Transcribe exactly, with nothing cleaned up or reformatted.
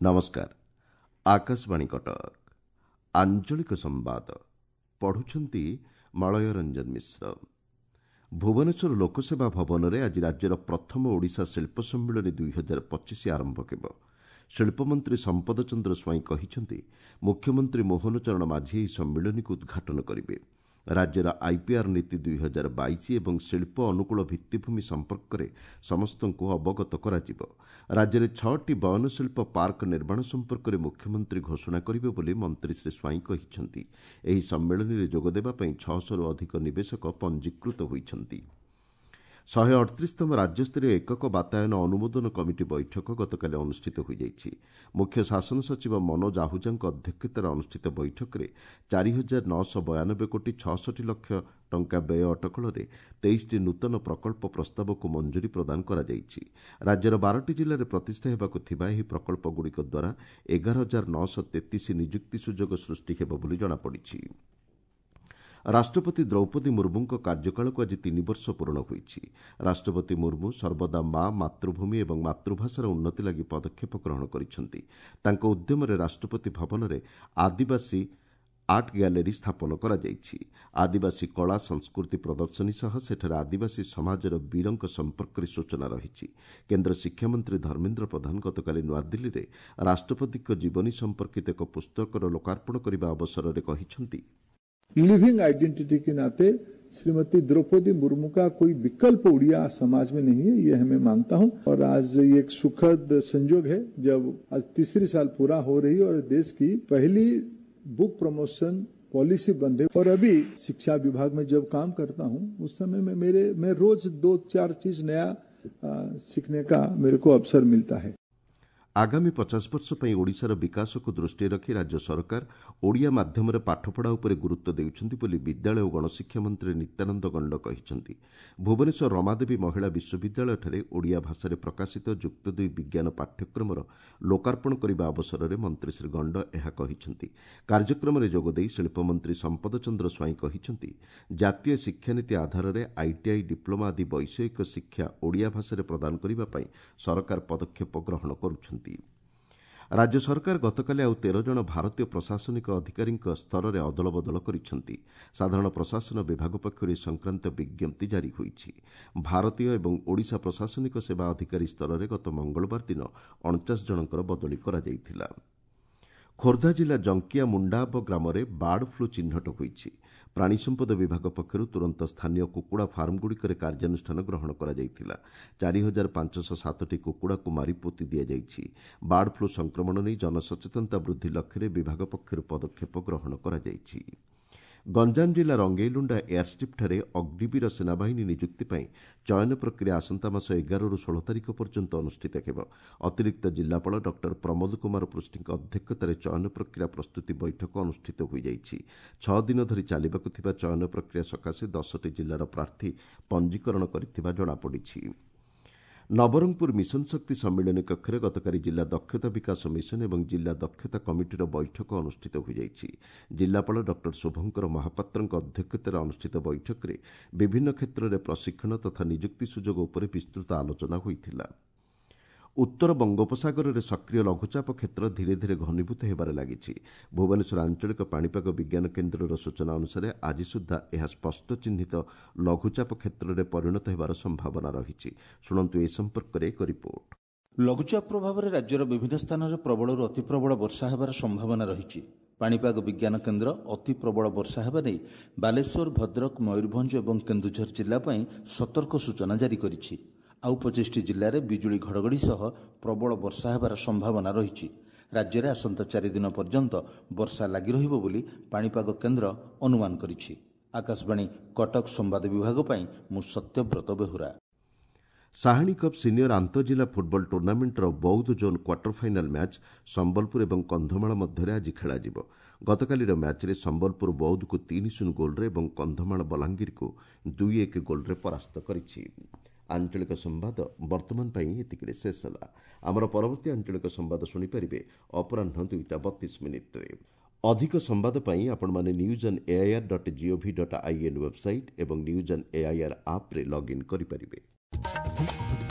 ନମସ୍କାର ଆକାଶବାଣୀ କଟକ ଆଞ୍ଚଳିକ ସମ୍ବାଦ ପଢୁଛନ୍ତି ମଳୟ ରଞ୍ଜନ ମିଶ୍ର ଭୁବନେଶ୍ୱର ଲୋକସେବା ଭବନରେ ଆଜି ରାଜ୍ୟର ପ୍ରଥମ ଓଡ଼ିଶା ଶିଳ୍ପ ସମ୍ମିଳନୀ ଦୁଇ ହଜାର ପଚିଶ ଆରମ୍ଭ ହେବ ଶିଳ୍ପମନ୍ତ୍ରୀ ସମ୍ପଦ ଚନ୍ଦ୍ର ସ୍ୱାଇଁ କହିଛନ୍ତି ମୁଖ୍ୟମନ୍ତ୍ରୀ ମୋହନ ଚରଣ ମାଝୀ ଏହି ସମ୍ମିଳନୀକୁ ଉଦ୍ଘାଟନ କରିବେ ରାଜ୍ୟର ଆଇପିଆର୍ ନୀତି ଦୁଇ ହଜାର ବାଇଶ ଏବଂ ଶିଳ୍ପ ଅନୁକୂଳ ଭିତ୍ତିଭୂମି ସମ୍ପର୍କରେ ସମସ୍ତଙ୍କୁ ଅବଗତ କରାଯିବ ରାଜ୍ୟରେ ଛଅଟି ବୟନଶିଳ୍ପ ପାର୍କ ନିର୍ମାଣ ସମ୍ପର୍କରେ ମୁଖ୍ୟମନ୍ତ୍ରୀ ଘୋଷଣା କରିବେ ବୋଲି ମନ୍ତ୍ରୀ ଶ୍ରୀ ସ୍ୱାଇଁ କହିଛନ୍ତି ଏହି ସମ୍ମିଳନୀରେ ଯୋଗଦେବା ପାଇଁ ଛଅଶହରୁ ଅଧିକ ନିବେଶକ ପଞ୍ଜୀକୃତ ହୋଇଛନ୍ତି ଶହେ ଅଠତିରିଶତମ ରାଜ୍ୟସ୍ତରୀୟ ଏକକ ବାତାୟନ ଅନୁମୋଦନ କମିଟି ବୈଠକ ଗତକାଲି ଅନୁଷ୍ଠିତ ହୋଇଯାଇଛି ମୁଖ୍ୟ ଶାସନ ସଚିବ ମନୋଜ ଆହୁଜାଙ୍କ ଅଧ୍ୟକ୍ଷତାରେ ଅନୁଷ୍ଠିତ ବୈଠକରେ ଚାରି ହଜାର ନଅଶହ ବୟାନବେ କୋଟି ଛଅଷଠି ଲକ୍ଷ ଟଙ୍କା ବ୍ୟୟ ଅଟକଳରେ ତେଇଶଟି ନୂତନ ପ୍ରକଳ୍ପ ପ୍ରସ୍ତାବକୁ ମଞ୍ଜୁରୀ ପ୍ରଦାନ କରାଯାଇଛି ରାଜ୍ୟର ବାରଟି ଜିଲ୍ଲାରେ ପ୍ରତିଷ୍ଠା ହେବାକୁ ଥିବା ଏହି ପ୍ରକଳ୍ପଗୁଡ଼ିକ ଦ୍ୱାରା ଏଗାର ହଜାର ନଅଶହ ତେତିଶ ନିଯୁକ୍ତି ସୁଯୋଗ ସୃଷ୍ଟି ହେବ ବୋଲି ଜଣାପଡ଼ିଛି ରାଷ୍ଟ୍ରପତି ଦ୍ରୌପଦୀ ମୁର୍ମୁଙ୍କ କାର୍ଯ୍ୟକାଳକୁ ଆଜି ତିନି ବର୍ଷ ପୂରଣ ହୋଇଛି ରାଷ୍ଟ୍ରପତି ମୁର୍ମୁ ସର୍ବଦା ମା ମାତୃଭୂମି ଏବଂ ମାତୃଭାଷାର ଉନ୍ନତି ଲାଗି ପଦକ୍ଷେପ ଗ୍ରହଣ କରିଛନ୍ତି ତାଙ୍କ ଉଦ୍ୟମରେ ରାଷ୍ଟ୍ରପତି ଭବନରେ ଆଦିବାସୀ ଆର୍ଟ ଗ୍ୟାଲେରୀ ସ୍ଥାପନ କରାଯାଇଛି ଆଦିବାସୀ କଳା ସଂସ୍କୃତି ପ୍ରଦର୍ଶନୀ ସହ ସେଠାରେ ଆଦିବାସୀ ସମାଜର ବୀରଙ୍କ ସମ୍ପର୍କରେ ସୂଚନା ରହିଛି କେନ୍ଦ୍ର ଶିକ୍ଷାମନ୍ତ୍ରୀ ଧର୍ମେନ୍ଦ୍ର ପ୍ରଧାନ ଗତକାଲି ନୂଆଦିଲ୍ଲୀରେ ରାଷ୍ଟ୍ରପତିଙ୍କ ଜୀବନୀ ସମ୍ପର୍କିତ ଏକ ପୁସ୍ତକର ଲୋକାର୍ପଣ କରିବା ଅବସରରେ କହିଛନ୍ତି लिविंग आइडेंटिटी के नाते श्रीमती द्रौपदी मुर्मू का कोई विकल्प उड़िया समाज में नहीं है ये हमें मानता हूं और आज ये एक सुखद संजोग है जब आज तीसरी साल पूरा हो रही और देश की पहली बुक प्रमोशन पॉलिसी बन रही और अभी शिक्षा विभाग में जब काम करता हूं उस समय में मेरे मैं रोज दो चार चीज नया आ, सीखने का मेरे को अवसर मिलता है ଆଗାମୀ ପଚାଶ ବର୍ଷ ପାଇଁ ଓଡ଼ିଶାର ବିକାଶକୁ ଦୃଷ୍ଟିରେ ରଖି ରାଜ୍ୟ ସରକାର ଓଡ଼ିଆ ମାଧ୍ୟମରେ ପାଠପଢ଼ା ଉପରେ ଗୁରୁତ୍ୱ ଦେଉଛନ୍ତି ବୋଲି ବିଦ୍ୟାଳୟ ଓ ଗଣଶିକ୍ଷା ମନ୍ତ୍ରୀ ନିତ୍ୟାନନ୍ଦ ଗଣ୍ଡ କହିଛନ୍ତି ଭୁବନେଶ୍ୱର ରମାଦେବୀ ମହିଳା ବିଶ୍ୱବିଦ୍ୟାଳୟଠାରେ ଓଡ଼ିଆ ଭାଷାରେ ପ୍ରକାଶିତ ଯୁକ୍ତ ଦୁଇ ବିଜ୍ଞାନ ପାଠ୍ୟକ୍ରମର ଲୋକାର୍ପଣ କରିବା ଅବସରରେ ମନ୍ତ୍ରୀ ଶ୍ରୀ ଗଣ୍ଡ ଏହା କହିଛନ୍ତି କାର୍ଯ୍ୟକ୍ରମରେ ଯୋଗଦେଇ ଶିଳ୍ପମନ୍ତ୍ରୀ ସମ୍ପଦ ଚନ୍ଦ୍ର ସ୍ୱାଇଁ କହିଛନ୍ତି ଜାତୀୟ ଶିକ୍ଷାନୀତି ଆଧାରରେ ଆଇଟିଆଇ ଡିପ୍ଲୋମା ଆଦି ବୈଷୟିକ ଶିକ୍ଷା ଓଡ଼ିଆ ଭାଷାରେ ପ୍ରଦାନ କରିବା ପାଇଁ ସରକାର ପଦକ୍ଷେପ ଗ୍ରହଣ କରୁଛନ୍ତି ରାଜ୍ୟ ସରକାର ଗତକାଲି ଆଉ ତେର ଜଣ ଭାରତୀୟ ପ୍ରଶାସନିକ ଅଧିକାରୀଙ୍କ ସ୍ତରରେ ଅଦଳବଦଳ କରିଛନ୍ତି ସାଧାରଣ ପ୍ରଶାସନ ବିଭାଗ ପକ୍ଷରୁ ଏ ସଂକ୍ରାନ୍ତ ବିଜ୍ଞପ୍ତି ଜାରି ହୋଇଛି ଭାରତୀୟ ଏବଂ ଓଡ଼ିଶା ପ୍ରଶାସନିକ ସେବା ଅଧିକାରୀ ସ୍ତରରେ ଗତ ମଙ୍ଗଳବାର ଦିନ ଅଣଚାଶ ଜଣଙ୍କର ବଦଳି କରାଯାଇଥିଲା ଖୋର୍ଦ୍ଧା ଜିଲ୍ଲା ଜଙ୍କିଆ ମୁଣ୍ଡାବ ଗ୍ରାମରେ ବାର୍ଡ ଫ୍ଲୁ ଚିହ୍ନଟ ହୋଇଛି ପ୍ରାଣୀ ସମ୍ପଦ ବିଭାଗ ପକ୍ଷରୁ ତୁରନ୍ତ ସ୍ଥାନୀୟ କୁକୁଡ଼ା ଫାର୍ମଗୁଡ଼ିକରେ କାର୍ଯ୍ୟାନୁଷ୍ଠାନ ଗ୍ରହଣ କରାଯାଇଥିଲା ଚାରି ହଜାର ପାଞ୍ଚଶହ ସାତଟି କୁକୁଡ଼ାକୁ ମାରି ପୋତି ଦିଆଯାଇଛି ବାର୍ଡ ଫ୍ଲୁ ସଂକ୍ରମଣ ନେଇ ଜନସଚେତନତା ବୃଦ୍ଧି ଲକ୍ଷ୍ୟରେ ବିଭାଗ ପକ୍ଷରୁ ପଦକ୍ଷେପ ଗ୍ରହଣ କରାଯାଇଛି ଗଞ୍ଜାମ ଜିଲ୍ଲା ରଙ୍ଗେଇଲୁଣ୍ଡା ଏୟାରଷ୍ଟ୍ରିପ୍ଠାରେ ଅଗ୍ନିବୀର ସେନାବାହିନୀ ନିଯୁକ୍ତି ପାଇଁ ଚୟନ ପ୍ରକ୍ରିୟା ଆସନ୍ତା ମାସ ଏଗାରରୁ ଷୋହଳ ତାରିଖ ପର୍ଯ୍ୟନ୍ତ ଅନୁଷ୍ଠିତ ହେବ ଅତିରିକ୍ତ ଜିଲ୍ଲାପାଳ ଡକ୍ଟର ପ୍ରମୋଦ କୁମାର ପୃଷ୍ଟିଙ୍କ ଅଧ୍ୟକ୍ଷତାରେ ଚୟନ ପ୍ରକ୍ରିୟା ପ୍ରସ୍ତୁତି ବୈଠକ ଅନୁଷ୍ଠିତ ହୋଇଯାଇଛି ଛଅ ଦିନ ଧରି ଚାଲିବାକୁ ଥିବା ଚୟନ ପ୍ରକ୍ରିୟା ସକାଶେ ଦଶଟି ଜିଲ୍ଲାର ପ୍ରାର୍ଥୀ ପଞ୍ଜୀକରଣ କରିଥିବା ଜଣାପଡ଼ିଛି ନବରଙ୍ଗପୁର ମିଶନ ଶକ୍ତି ସମ୍ମିଳନୀ କକ୍ଷରେ ଗତକାଲି ଜିଲ୍ଲା ଦକ୍ଷତା ବିକାଶ ମିଶନ ଏବଂ ଜିଲ୍ଲା ଦକ୍ଷତା କମିଟିର ବୈଠକ ଅନୁଷ୍ଠିତ ହୋଇଯାଇଛି ଜିଲ୍ଲାପାଳ ଡକ୍ଟର ଶୁଭଙ୍କର ମହାପାତ୍ରଙ୍କ ଅଧ୍ୟକ୍ଷତାରେ ଅନୁଷ୍ଠିତ ବୈଠକରେ ବିଭିନ୍ନ କ୍ଷେତ୍ରରେ ପ୍ରଶିକ୍ଷଣ ତଥା ନିଯୁକ୍ତି ସୁଯୋଗ ଉପରେ ବିସ୍ତୃତ ଆଲୋଚନା ହୋଇଥିଲା ଉତ୍ତର ବଙ୍ଗୋପସାଗରରେ ସକ୍ରିୟ ଲଘୁଚାପ କ୍ଷେତ୍ର ଧୀରେ ଧୀରେ ଘନୀଭୂତ ହେବାରେ ଲାଗିଛି ଭୁବନେଶ୍ୱର ଆଞ୍ଚଳିକ ପାଣିପାଗ ବିଜ୍ଞାନ କେନ୍ଦ୍ରର ସୂଚନା ଅନୁସାରେ ଆଜି ସୁଦ୍ଧା ଏହା ସ୍ପଷ୍ଟ ଚିହ୍ନିତ ଲଘୁଚାପ କ୍ଷେତ୍ରରେ ପରିଣତ ହେବାର ସମ୍ଭାବନା ରହିଛି ଶୁଣନ୍ତୁ ଏ ସମ୍ପର୍କରେ ଏକ ରିପୋର୍ଟ ଲଘୁଚାପ ପ୍ରଭାବରେ ରାଜ୍ୟର ବିଭିନ୍ନ ସ୍ଥାନରେ ପ୍ରବଳରୁ ଅତି ପ୍ରବଳ ବର୍ଷା ହେବାର ସମ୍ଭାବନା ରହିଛି ପାଣିପାଗ ବିଜ୍ଞାନ କେନ୍ଦ୍ର ଅତି ପ୍ରବଳ ବର୍ଷା ହେବା ନେଇ ବାଲେଶ୍ୱର ଭଦ୍ରକ ମୟୂରଭଞ୍ଜ ଏବଂ କେନ୍ଦୁଝର ଜିଲ୍ଲା ପାଇଁ ସତର୍କ ସୂଚନା ଜାରି କରିଛି ଆଉ ପଚିଶଟି ଜିଲ୍ଲାରେ ବିଜୁଳି ଘଡ଼ଘଡ଼ି ସହ ପ୍ରବଳ ବର୍ଷା ହେବାର ସମ୍ଭାବନା ରହିଛି ରାଜ୍ୟରେ ଆସନ୍ତା ଚାରିଦିନ ପର୍ଯ୍ୟନ୍ତ ବର୍ଷା ଲାଗି ରହିବ ବୋଲି ପାଣିପାଗ କେନ୍ଦ୍ର ଅନୁମାନ କରିଛି ଆକାଶବାଣୀ କଟକ ସମ୍ବାଦ ବିଭାଗ ପାଇଁ ମୁଁ ସତ୍ୟବ୍ରତ ବେହୁରା ସାହାଣୀ କପ୍ ସିନିୟର ଆନ୍ତଃଜିଲ୍ଲା ଫୁଟବଲ ଟୁର୍ଣ୍ଣାମେଣ୍ଟର Boudh zone quarter final match Sambalpur ଏବଂ କନ୍ଧମାଳ ମଧ୍ୟରେ ଆଜି ଖେଳାଯିବ ଗତକାଲିର ମ୍ୟାଚ୍ରେ ସମ୍ବଲପୁର ବୌଦ୍ଧକୁ ତିନି ଶୂନ ଗୋଲ୍ରେ ଏବଂ କନ୍ଧମାଳ ବଲାଙ୍ଗୀରକୁ ଦୁଇ ଏକ ଗୋଲ୍ରେ ପରାସ୍ତ କରିଛି ଆଞ୍ଚଳିକ ସମ୍ବାଦ ବର୍ତ୍ତମାନ ପାଇଁ ଏତିକିରେ ଶେଷ ହେଲା ଆମର ପରବର୍ତ୍ତୀ ଆଞ୍ଚଳିକ ସମ୍ବାଦ ଶୁଣିପାରିବେ ଅପରାହ୍ନ ଦୁଇଟା ବତିଶ ମିନିଟ୍ରେ ଅଧିକ ସମ୍ବାଦ ପାଇଁ ଆପଣମାନେ news on AIR dot gov dot in website ଏବଂ ନ୍ୟୁଜ୍ ଅନ୍ ଏଆଇଆର୍ ଆପ୍ରେ ଲଗ୍ଇନ୍ କରିପାରିବେ